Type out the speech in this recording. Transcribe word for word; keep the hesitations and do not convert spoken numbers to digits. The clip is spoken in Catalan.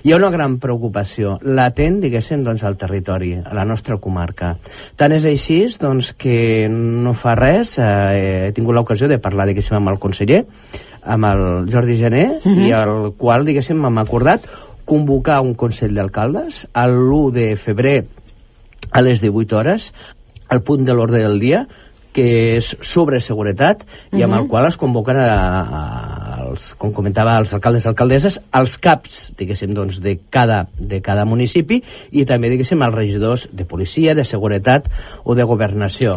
hi ha una gran preocupació latent, diguéssim, doncs, al territori, a la nostra comarca. Tant és així, doncs, que no fa res, eh, he tingut l'ocasió de parlar, diguéssim, amb el conseller, amb el Jordi Gené, uh-huh. i el qual, diguéssim, m'hem acordat convocar un Consell d'Alcaldes l'u de febrer a les divuit hores, al punt de l'ordre del dia, que és sobre seguretat, i amb uh-huh. el qual es convoquen a, a, els, com comentava, els alcaldes i alcaldesses, els caps, diguéssim, doncs, de cada, de cada municipi, i també, diguéssim, els regidors de policia, de seguretat o de governació.